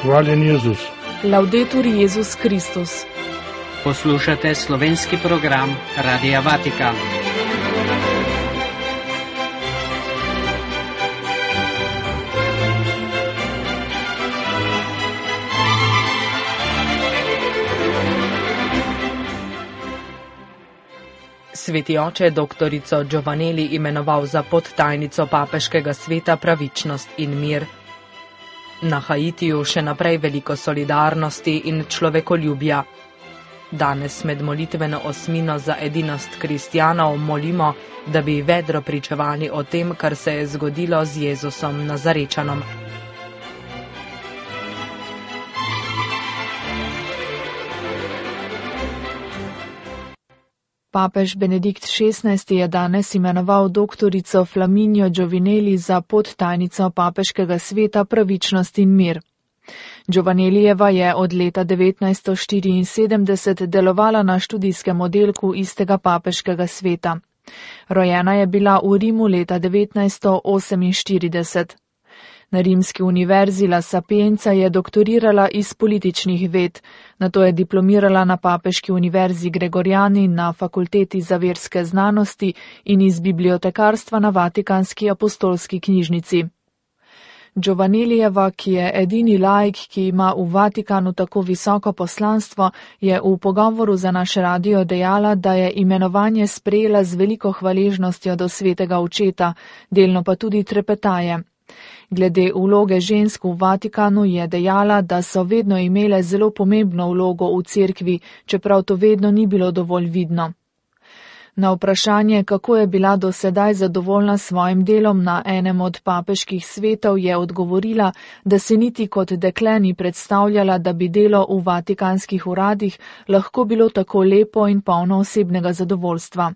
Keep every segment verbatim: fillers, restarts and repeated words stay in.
Hvaljen Jezus. Laudetur Jezus Kristus. Poslušate slovenski program Radia Vatikan. Sveti oče doktorico Giovanelli imenoval za podtajnico papeškega sveta Pravičnost in mir. Na Haitiju še naprej veliko solidarnosti in človekoljubja. Danes med molitveno osmino za edinost kristjanov molimo, da bi vedro pričevali o tem, kar se je zgodilo z Jezusom Nazarečanom. Papež Benedikt šestnajsti je danes imenoval doktorico Flaminio Giovinelli za podtajnico papeškega sveta Pravičnost in mir. Giovanellijeva je od leta devetnajststo štiriinsedemdeset delovala na študijskem oddelku istega papeškega sveta. Rojena je bila v Rimu leta devetnajststo oseminštirideset. Na rimski univerzi La Sapienza je doktorirala iz političnih ved, nato je diplomirala na papeški univerzi Gregoriani na fakulteti za verske znanosti in iz bibliotekarstva na Vatikanski apostolski knjižnici. Giovanellijeva, ki je edini laik, ki ima v Vatikanu tako visoko poslanstvo, je v pogovoru za naš radio dejala, da je imenovanje sprejela z veliko hvaležnostjo do svetega očeta, delno pa tudi trepetaje. Glede vloge žensk v Vatikanu je dejala, da so vedno imele zelo pomembno vlogo v cerkvi, čeprav to vedno ni bilo dovolj vidno. Na vprašanje, kako je bila do sedaj zadovoljna s svojim delom na enem od papeških svetov, je odgovorila, da se niti kot dekle ni predstavljala, da bi delo v vatikanskih uradih lahko bilo tako lepo in polno osebnega zadovoljstva.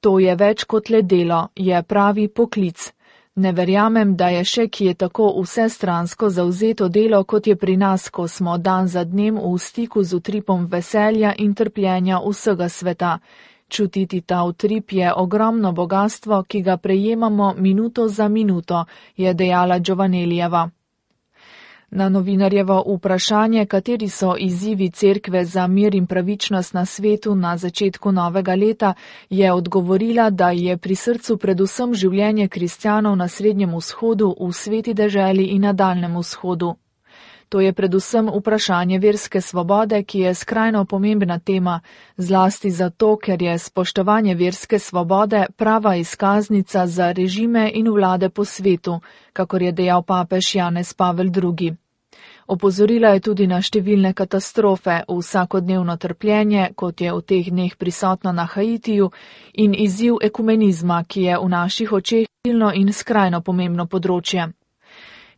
To je več kot le delo, je pravi poklic. Ne verjamem, da je še kje tako vsestransko zavzeto delo, kot je pri nas, ko smo dan za dnem v stiku z utripom veselja in trpljenja vsega sveta. Čutiti ta utrip je ogromno bogastvo, ki ga prejemamo minuto za minuto, je dejala Giovanellijeva. Na novinarjevo vprašanje, kateri so izzivi cerkve za mir in pravičnost na svetu na začetku novega leta, je odgovorila, da je pri srcu predvsem življenje kristjanov na Srednjem vzhodu, v sveti deželi in na Daljnem vzhodu. To je predvsem vprašanje verske svobode, ki je skrajno pomembna tema, zlasti zato, ker je spoštovanje verske svobode prava izkaznica za režime in vlade po svetu, kakor je dejal papež Janez Pavel drugi. Opozorila je tudi na številne katastrofe, vsakodnevno trpljenje, kot je v teh dneh prisotno na Haitiju, in izziv ekumenizma, ki je v naših očeh silno in skrajno pomembno področje.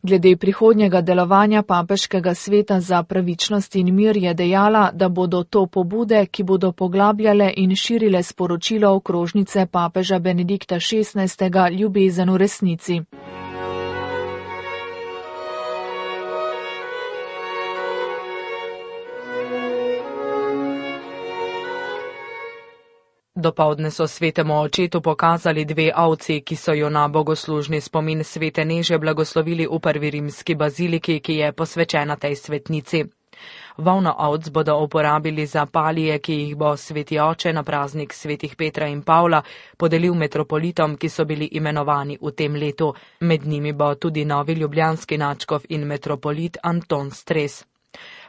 Glede prihodnjega delovanja papeškega sveta za pravičnost in mir je dejala, da bodo to pobude, ki bodo poglabljale in širile sporočilo okrožnice papeža Benedikta šestnajstega ljubezen v resnici. Dopoldne so svetemu očetu pokazali dve ovci, ki so jo na bogoslužni spomin svete Neže blagoslovili v prvi rimski baziliki, ki je posvečena tej svetnici. Volno ovc bodo uporabili za palije, ki jih bo sveti oče na praznik svetih Petra in Pavla podelil metropolitom, ki so bili imenovani v tem letu. Med njimi bo tudi novi ljubljanski nadškof in metropolit Anton Stres.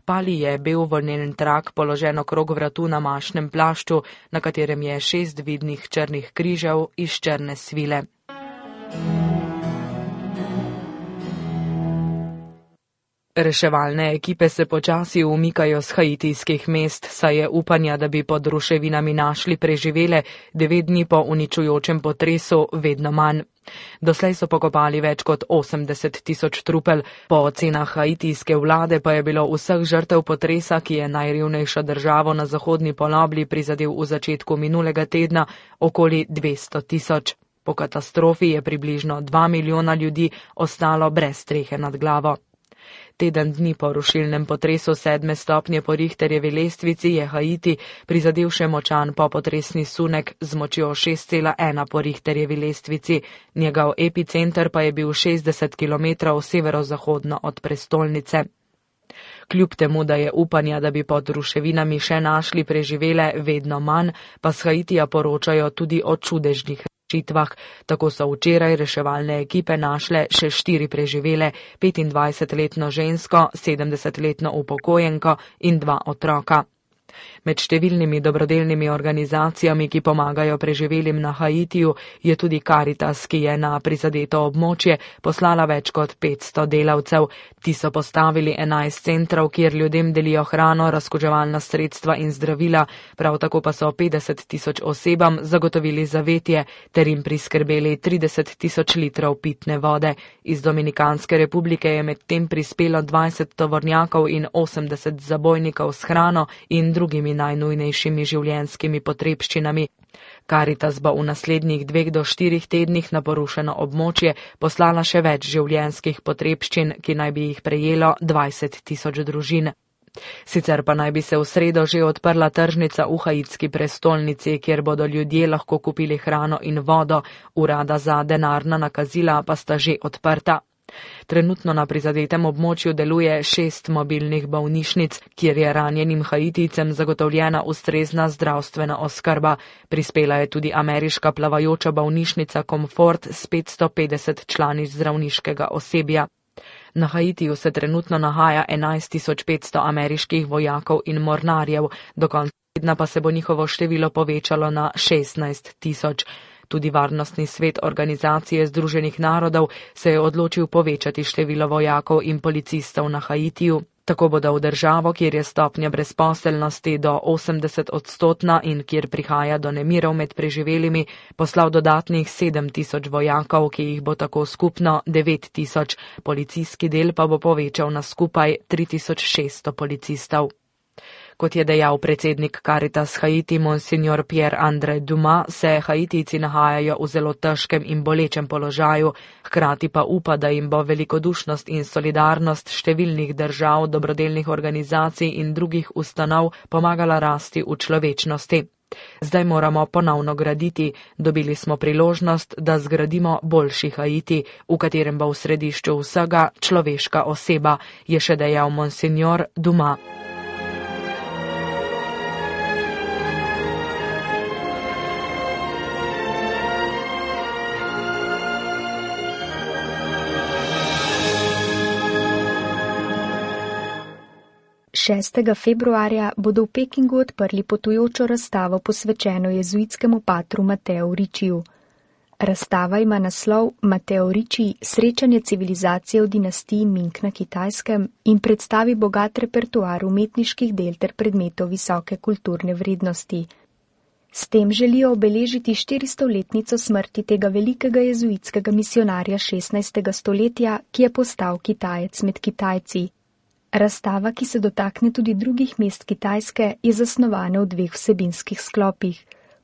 Pali je bel volnelen trak položen okrog vratu na mašnem plašču, na katerem je šest vidnih črnih križev iz črne svile. Reševalne ekipe se počasi umikajo z haitijskih mest, saj je upanja, da bi pod ruševinami našli preživele devet dni po uničujočem potresu, vedno manj. Doslej so pokopali več kot osemdeset tisoč trupel, po ocenah haitijske vlade pa je bilo vseh žrtev potresa, ki je najrevnejšo državo na zahodni polobli prizadel v začetku minulega tedna, okoli dvesto tisoč. Po katastrofi je približno dva milijona ljudi ostalo brez strehe nad glavo. Teden dni po rušilnem potresu sedme stopnje po Richterjevi lestvici je Haiti prizadel še močan popotresni sunek z močjo šest cela ena po Richterjevi lestvici. Njegov epicenter pa je bil šestdeset kilometrov severozahodno od prestolnice. Kljub temu, da je upanja, da bi pod ruševinami še našli preživele, vedno manj, pa s Haitija poročajo tudi o čudežnih rešitvah. Tako so včeraj reševalne ekipe našle še štiri preživele, petindvajsetletno žensko, sedemdesetletno upokojenko in dva otroka. Med številnimi dobrodelnimi organizacijami, ki pomagajo preživelim na Haitiju, je tudi Caritas, ki je na prizadeto območje poslala več kot petsto delavcev. Ti so postavili enajst centrov, kjer ljudem delijo hrano, razkuževalna sredstva in zdravila, prav tako pa so petdeset tisoč osebam zagotovili zavetje ter jim priskrbeli trideset tisoč litrov pitne vode. Iz Dominikanske republike je medtem prispelo dvajset tovornjakov in osemdeset zabojnikov s hrano in drugimi najnujnejšimi življenjskimi potrebščinami. Caritas bo v naslednjih dveh do štirih tednih na porušeno območje poslala še več življenjskih potrebščin, ki naj bi jih prejelo dvajset tisoč družin. Sicer pa naj bi se v sredo že odprla tržnica v haitski prestolnici, kjer bodo ljudje lahko kupili hrano in vodo, urada za denarna nakazila pa sta že odprta. Trenutno na prizadetem območju deluje šest mobilnih bolnišnic, kjer je ranjenim Haitijcem zagotovljena ustrezna zdravstvena oskrba. Prispela je tudi ameriška plavajoča bolnišnica Comfort s petsto petdeset člani zdravniškega osebja. Na Haitiju se trenutno nahaja enajst tisoč petsto ameriških vojakov in mornarjev, do konca tedna pa se bo njihovo število povečalo na šestnajst tisoč. Tudi Varnostni svet Organizacije združenih narodov se je odločil povečati število vojakov in policistov na Haitiju. Tako bodo v državo, kjer je stopnja brezposelnosti do osemdeset odstotna in kjer prihaja do nemirov med preživelimi, poslal dodatnih sedem tisoč vojakov, ki jih bo tako skupno devet tisoč. Policijski del pa bo povečal na skupaj tri tisoč šeststo policistov. Kot je dejal predsednik Caritas Haiti, monsignor Pierre-André Dumas, se Haitijci nahajajo v zelo težkem in bolečem položaju, hkrati pa upa, da jim bo velikodušnost in solidarnost številnih držav, dobrodelnih organizacij in drugih ustanov pomagala rasti v človečnosti. Zdaj moramo ponovno graditi, dobili smo priložnost, da zgradimo boljši Haiti, v katerem bo v središču vsega človeška oseba, je še dejal monsignor Dumas. šestega februarja bodo v Pekingu odprli potujočo razstavo posvečeno jezuitskemu patru Mateu Ricciu. Razstava ima naslov Mateo Ricci, srečanje civilizacije v dinastiji Ming na Kitajskem in predstavi bogat repertoar umetniških del ter predmetov visoke kulturne vrednosti. S tem želijo obeležiti štiristoletnico smrti tega velikega jezuitskega misionarja šestnajstega stoletja, ki je postal Kitajec med Kitajci. Razstava, ki se dotakne tudi drugih mest Kitajske, je zasnovana v dveh vsebinskih sklopih.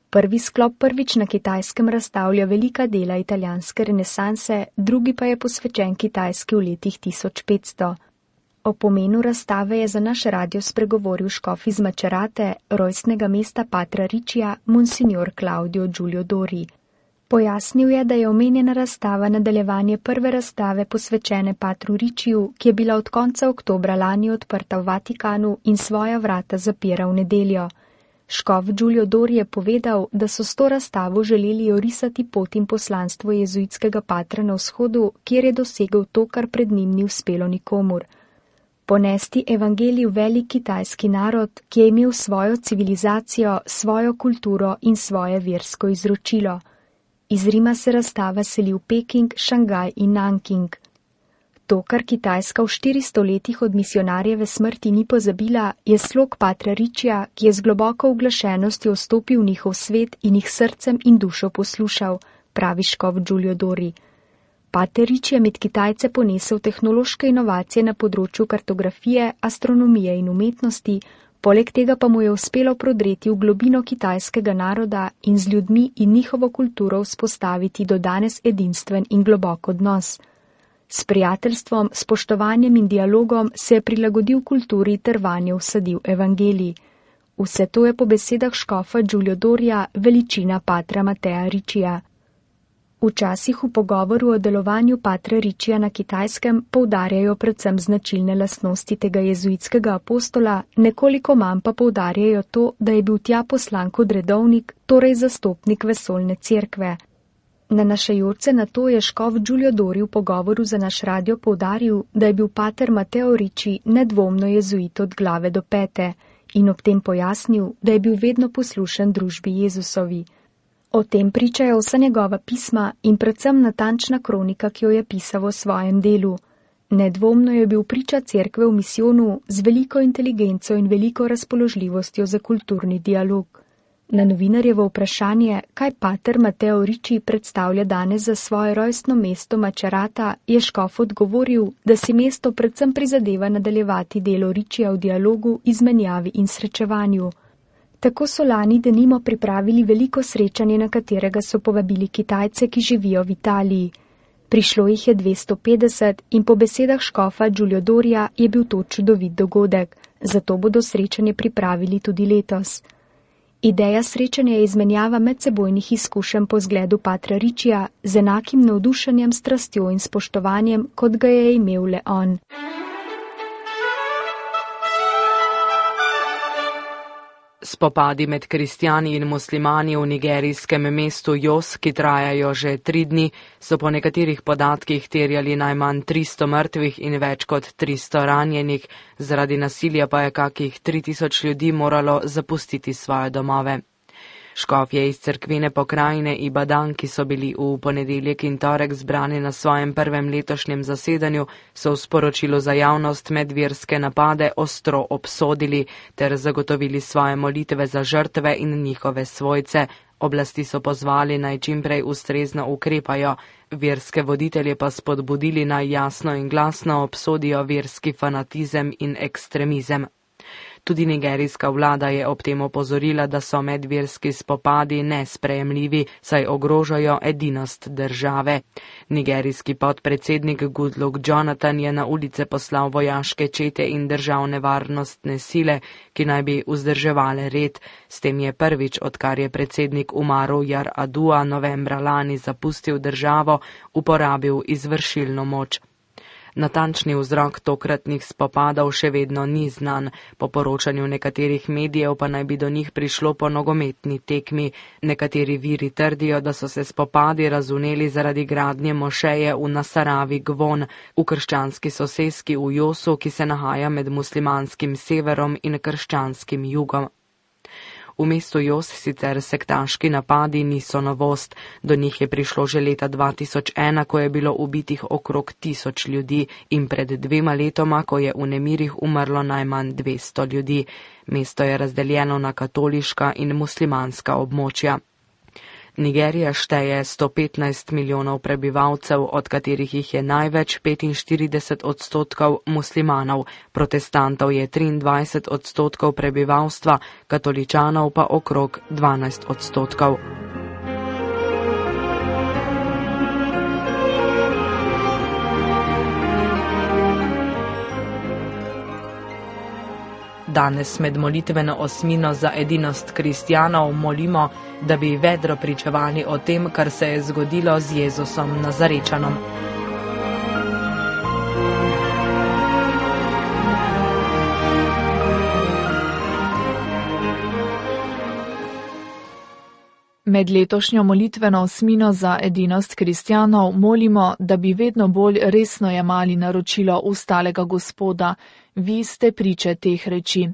Prvi sklop prvič na Kitajskem razstavlja velika dela italijanske renesanse, drugi pa je posvečen Kitajski v letih tisoč petsto. O pomenu razstave je za naš radio spregovoril škof iz Macerate, rojstnega mesta patra Riccija, monsignor Claudio Giulio Dori. Pojasnil je, da je omenjena razstava nadaljevanje prve razstave posvečene patru Ricciju, ki je bila od konca oktobra lani odprta v Vatikanu in svoja vrata zapira v nedeljo. Škof Giulio Dori je povedal, da so s to razstavo želeli orisati pot in poslanstvo jezuitskega patra na vzhodu, kjer je dosegel to, kar pred njim ni uspelo nikomur. Ponesti evangelij v velik kitajski narod, ki je imel svojo civilizacijo, svojo kulturo in svoje versko izročilo. Iz Rima se razstava seli v Peking, Šangaj in Nanking. To, kar Kitajska v štiristo letih od misionarjeve smrti ni pozabila, je slog patra Riccija, ki je z globoko uglašenostjo vstopil v njihov svet in jih srcem in dušo poslušal, pravi škof Giulio Dori. Pater Ricci je med Kitajce ponesel tehnološke inovacije na področju kartografije, astronomije in umetnosti, poleg tega pa mu je uspelo prodreti v globino kitajskega naroda in z ljudmi in njihovo kulturo vzpostaviti do danes edinstven in globok odnos. S prijateljstvom, spoštovanjem in dialogom se je prilagodil kulturi ter vanjo vsadil evangelij. Vse to je po besedah škofa Giulio Dorija veličina patra Matea Riccija. Včasih v pogovoru o delovanju patra Richija na Kitajskem poudarjajo predvsem značilne lastnosti tega jezuitskega apostola, nekoliko manj pa poudarjajo to, da je bil tja poslan kot redovnik, torej zastopnik vesoljne cerkve. Nanašajoč se na to je škof Giulio Dori v pogovoru za naš radio poudaril, da je bil pater Mateo Ricci nedvomno jezuit od glave do pete in ob tem pojasnil, da je bil vedno poslušen družbi Jezusovi. O tem pričajo vsa njegova pisma in predvsem natančna kronika, ki jo je pisal v svojem delu. Nedvomno je bil priča cerkve v misijonu z veliko inteligenco in veliko razpoložljivostjo za kulturni dialog. Na novinarjevo vprašanje, kaj pater Mateo Ricci predstavlja danes za svoje rojstno mesto Macerata, je škof odgovoril, da si mesto predvsem prizadeva nadaljevati delo Riccija v dialogu, izmenjavi in srečevanju. Tako so lani denimo pripravili veliko srečanje, na katerega so povabili Kitajce, ki živijo v Italiji. Prišlo jih je dvesto petdeset in po besedah škofa Giulio Dorija je bil to čudovit dogodek, zato bodo srečanje pripravili tudi letos. Ideja srečanja je izmenjava medsebojnih izkušenj po zgledu patra Riccija z enakim navdušenjem, strastjo in spoštovanjem, kot ga je imel le on. Spopadi med kristjani in muslimani v nigerijskem mestu Jos, ki trajajo že tri dni, so po nekaterih podatkih terjali najmanj tristo mrtvih in več kot tristo ranjenih, zaradi nasilja pa je kakih tri tisoč ljudi moralo zapustiti svoje domove. Škofje iz cerkvene pokrajine Ibadan, ki so bili v ponedeljek in torek zbrani na svojem prvem letošnjem zasedanju, so v sporočilu za javnost medverske napade ostro obsodili ter zagotovili svoje molitve za žrtve in njihove svojce. Oblasti so pozvali naj čimprej ustrezno ukrepajo, verske voditelje pa spodbudili naj jasno in glasno obsodijo verski fanatizem in ekstremizem. Tudi nigerijska vlada je ob tem opozorila, da so medverski spopadi nesprejemljivi, saj ogrožajo edinost države. Nigerijski podpredsednik Goodluck Jonathan je na ulice poslal vojaške čete in državne varnostne sile, ki naj bi vzdrževale red. S tem je prvič, odkar je predsednik Umaru Yar'Adua novembra lani zapustil državo, uporabil izvršilno moč. Natančni vzrok tokratnih spopadov še vedno ni znan, po poročanju nekaterih medijev pa naj bi do njih prišlo po nogometni tekmi. Nekateri viri trdijo, da so se spopadi razvneli zaradi gradnje mošeje v Nasaravi Gvon, v krščanski soseski v Josu, ki se nahaja med muslimanskim severom in krščanskim jugom. V mestu Jos sicer sektaški napadi niso novost, do njih je prišlo že leta dva tisoč ena, ko je bilo ubitih okrog tisoč ljudi in pred dvema letoma, ko je v nemirih umrlo najmanj dvesto ljudi. Mesto je razdeljeno na katoliška in muslimanska območja. Nigerija šteje sto petnajst milijonov prebivalcev, od katerih jih je največ petinštirideset odstotkov muslimanov, protestantov je triindvajset odstotkov prebivalstva, katoličanov pa okrog dvanajst odstotkov. Danes med molitveno osmino za edinost kristjanov molimo, da bi vedro pričevali o tem, kar se je zgodilo z Jezusom Nazarečanom. Med letošnjo molitveno osmino za edinost kristjanov molimo, da bi vedno bolj resno jemali naročilo ustalega Gospoda, vi ste priče teh reči.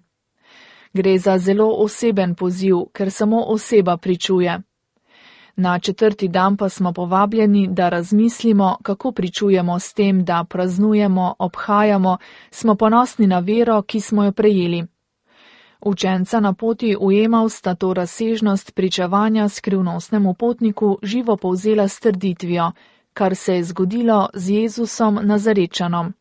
Gre za zelo oseben poziv, ker samo oseba pričuje. Na četrti dan pa smo povabljeni, da razmislimo, kako pričujemo s tem, da praznujemo, obhajamo, smo ponosni na vero, ki smo jo prejeli. Učenca na poti v Emaus sta to razsežnost pričevanja skrivnostnemu potniku živo povzela s trditvijo, kar se je zgodilo z Jezusom Nazarečanom.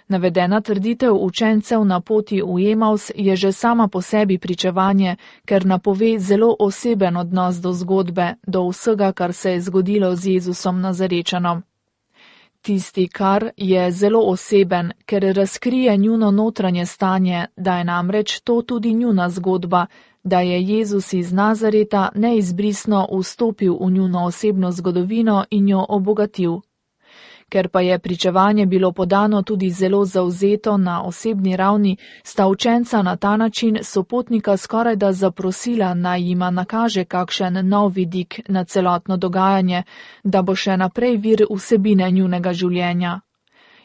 Navedena trditev učencev na poti v Emaus je že sama po sebi pričevanje, ker napove zelo oseben odnos do zgodbe, do vsega, kar se je zgodilo z Jezusom Nazarečanom. Tisti, kar je zelo oseben, ker razkrije njuno notranje stanje, da je namreč to tudi njuna zgodba, da je Jezus iz Nazareta neizbrisno vstopil v njuno osebno zgodovino in jo obogatil. Ker pa je pričevanje bilo podano tudi zelo zavzeto na osebni ravni, sta učenca na ta način sopotnika skorajda zaprosila, naj jima nakaže kakšen nov vidik na celotno dogajanje, da bo še naprej vir vsebine njunega življenja.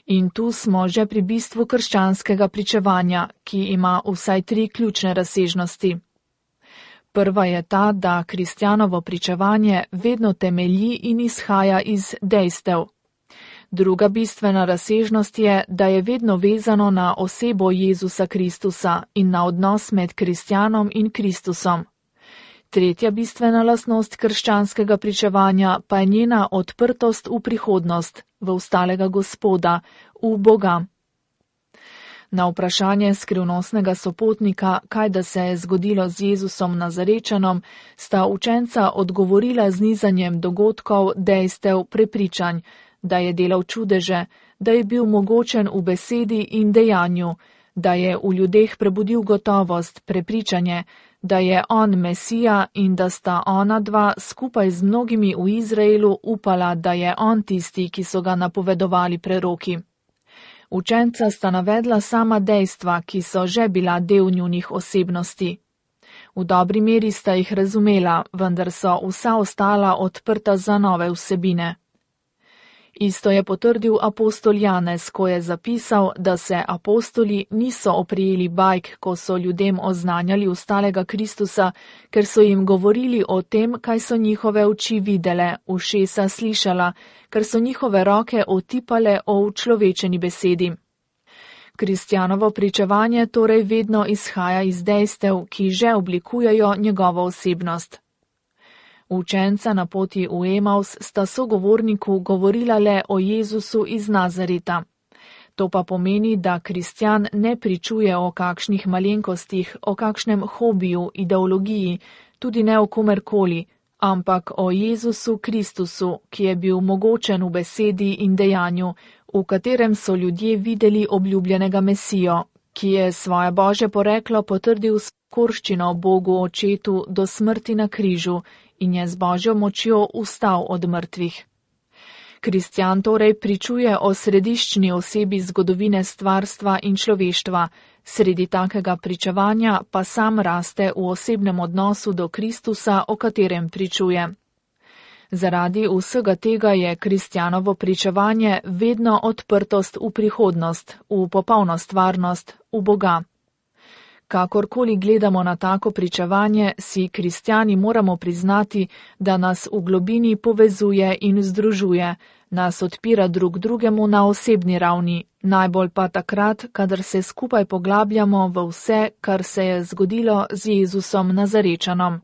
In tu smo že pri bistvu krščanskega pričevanja, ki ima vsaj tri ključne razsežnosti. Prva je ta, da kristjanovo pričevanje vedno temelji in izhaja iz dejstev. Druga bistvena razsežnost je, da je vedno vezano na osebo Jezusa Kristusa in na odnos med kristjanom in Kristusom. Tretja bistvena lastnost krščanskega pričevanja pa je njena odprtost v prihodnost, v ustalega Gospoda, v Boga. Na vprašanje skrivnostnega sopotnika, kaj da se je zgodilo z Jezusom Nazarečanom, sta učenca odgovorila z nizanjem dogodkov, dejstev, prepričanj, da je delal čudeže, da je bil mogočen v besedi in dejanju, da je v ljudeh prebudil gotovost, prepričanje, da je on Mesija in da sta ona dva skupaj z mnogimi v Izraelu upala, da je on tisti, ki so ga napovedovali preroki. Učenca sta navedla sama dejstva, ki so že bila del njunih osebnosti. V dobri meri sta jih razumela, vendar so vsa ostala odprta za nove vsebine. Isto je potrdil apostol Janez, ko je zapisal, da se apostoli niso oprijeli bajk, ko so ljudem oznanjali ustalega Kristusa, ker so jim govorili o tem, kaj so njihove oči videle, ušesa slišala, ker so njihove roke otipale o učlovečeni besedi. Kristjanovo pričevanje torej vedno izhaja iz dejstev, ki že oblikujejo njegovo osebnost. Učenca na poti v Emaus sta sogovorniku govorila le o Jezusu iz Nazareta. To pa pomeni, da kristjan ne pričuje o kakšnih malenkostih, o kakšnem hobiju, ideologiji, tudi ne o komerkoli, ampak o Jezusu Kristusu, ki je bil mogočen v besedi in dejanju, v katerem so ljudje videli obljubljenega Mesijo, ki je svoje Božje poreklo potrdil s korščino Bogu Očetu do smrti na križu in je z Božjo močjo vstal od mrtvih. Kristjan torej pričuje o središčni osebi zgodovine stvarstva in človeštva, sredi takega pričevanja pa sam raste v osebnem odnosu do Kristusa, o katerem pričuje. Zaradi vsega tega je kristjanovo pričevanje vedno odprtost v prihodnost, v popolno stvarnost, v Boga. Kakorkoli gledamo na tako pričevanje, si kristjani moramo priznati, da nas v globini povezuje in združuje, nas odpira drug drugemu na osebni ravni, najbolj pa takrat, kadar se skupaj poglabljamo v vse, kar se je zgodilo z Jezusom Nazarečanom.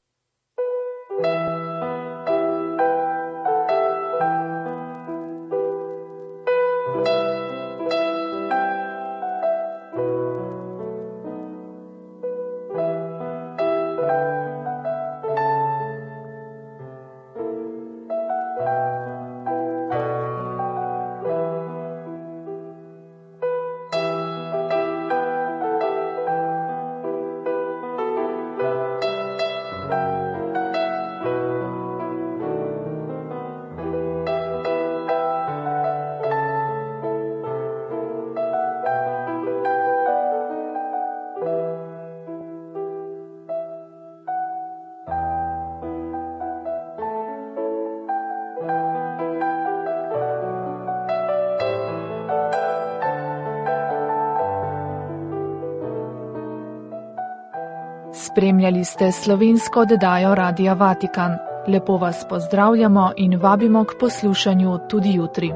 Spremljali ste slovensko oddajo Radia Vatikan. Lepo vas pozdravljamo in vabimo k poslušanju tudi jutri.